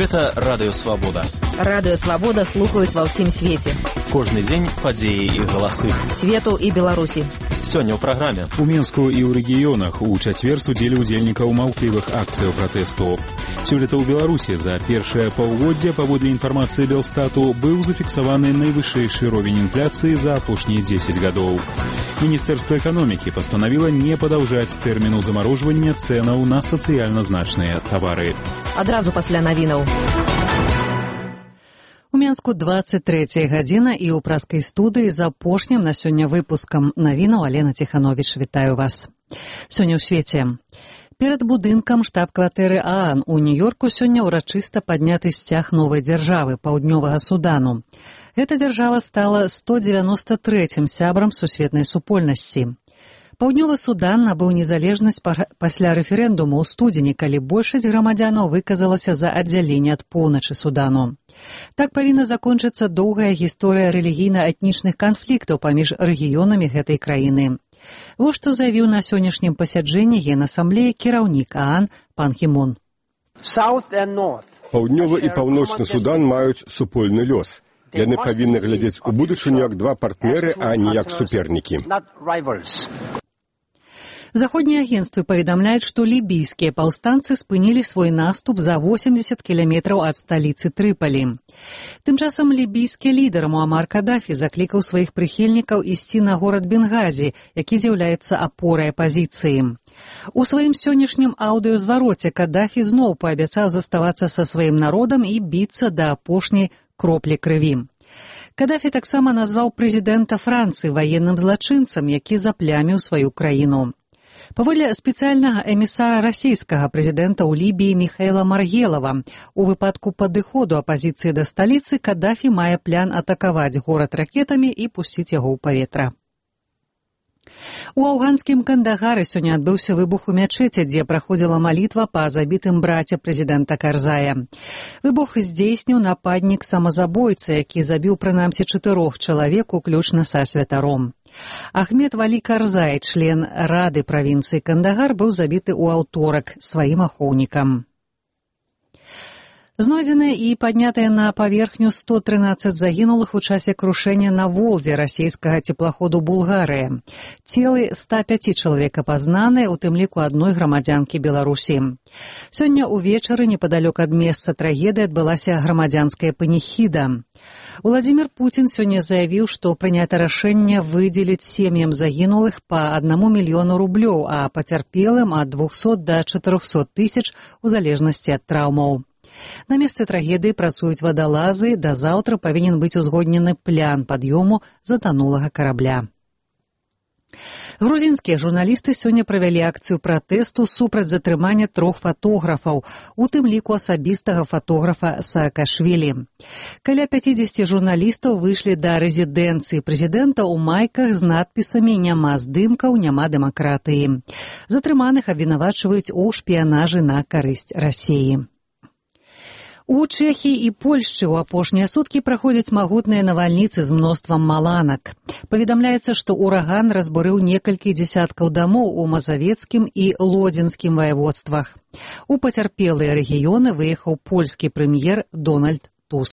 Гэта Радыё Свабода. Радыё Свабода слухаюць ва ўсім свеце. Кожны дзень падзеі і галасы. Свету і Беларусі. Сёння ў праграме. У Мінску і ў рэгіёнах у чацвер судзілі ўдзельнікаў маўклівых акцыяў пратэсту. Сёлета ў Беларусі за першае паўгоддзе, паводле інфармацыі Белстату, быў зафіксаваны найвышэйшы ровень інфляцыі за апошнія 10 гадоў. Міністэрства эканомікі пастанавіла не падаўжаць тэрміну замарожвання цэнаў на сацыяльна значныя тавары. Адразу пасля навінаў. У Мінску 23 гадзіна і ў праскай студыі з апошнім на сёння выпускам навінаў Алена Ціхановіч. Вітаю вас. Сёння ў свеце. Перад будынкам штаб-кватэры ААН у Нью-Йорку сёння ўрачыста падняты сцяг новай дзяржавы, Паўднёвага Судану. Гэта дзяржава стала 193-м сябрам сусветнай супольнасці. Паўднёвы Судан набыў незалежнасць пасля рэферэндуму ў студзені, калі большасць грамадзянаў выказалася за аддзяленне ад поўначы Судану. Так павінна закончыцца доўгая гісторыя рэлігійна-этнічных канфліктаў паміж рэгіёнамі гэтай краіны. Вось што заявіў на сённяшнім пасяджэнні Генасамблеі кіраўнік ААН пан Кі Мун. Паўднёвы і паўночны Судан маюць супольны лёс. Яны павінны глядзець у будучыню як два партнеры, а не як супернікі. Заходнія агенцтвы паведамляюць, што лібійскія паўстанцы спынілі свой наступ за 80 кіламетраў ад сталіцы Трыпалі. Тым часам лібійскі лідар Муамар Кадафі заклікаў сваіх прыхільнікаў ісці на горад Бенгазі, які з'яўляецца апорай апазіцыі. У сваім сённяшнім аўдыёзвароце Кадафі зноў паабяцаў заставацца са сваім народам і біцца да апошняй кроплі крыві. Кадафі таксама назваў прэзідэнта Францыі ваенным злачынцам, які запляміў сваю краіну. Паводле спецыяльнага эмісара расійскага прэзідэнта ў Лібіі Міхаіла Маргелава, у выпадку падыходу апазіцыі да сталіцы Кадафі мае план атакаваць горад ракетамі і пусціць яго ў паветра. У афганскім Кандагары сёння адбыўся выбух у мячэці, дзе праходзіла малітва па забітым браце прэзідэнта Карзая. Выбух здзейсніў нападнік самазабойца, які забіў прынамсі 4 чалавек, уключна са святаром. Ахмед Валі Карзай, член рады правінцыі Кандагар, быў забіты ў аўторак сваім ахоўнікам. Знойдзеныя і паднятыя на паверхню 113 загінулых у часе крушэння на Волзе расійскага цеплаходу «Булгарыя». Целы 105 чалавек апазнаныя, у тым ліку адной грамадзянкі Беларусі. Сёння ўвечары непадалёк ад месца трагедыі адбылася грамадзянская паніхіда. Уладзімір Пуцін сёння заявіў, што прынята рашэнне выдзеліць сем'ям загінулых па 1 мільёну рублёў, а пацярпелым ад 200 да 400 тысяч у залежнасці ад траўмаў. На месцы трагедыі працуюць вадалазы, да заўтра павінен быць узгоднены план пад'ёму затанулага карабля. Грузінскія журналісты сёння правялі акцыю пратэсту супраць затрымання 3 фатографаў, у тым ліку асабістага фатографа Саакашвілі. Каля 50 журналістаў выйшлі да рэзідэнцыі прэзідэнта ў майках з надпісамі «Няма здымкаў, няма дэмакратыі». Затрыманых абвінавачваюць у шпіянажы на карысць Расіі. У Чэхіі і Польшчы ў апошнія суткі праходзяць магутныя навальніцы з мноствам маланак. Паведамляецца, што ўраган разбурыў некалькі дзесяткаў дамоў у Мазавецкім і Лодзінскім ваяводствах. У пацярпелыя рэгіёны выехаў польскі прэм'ер Дональд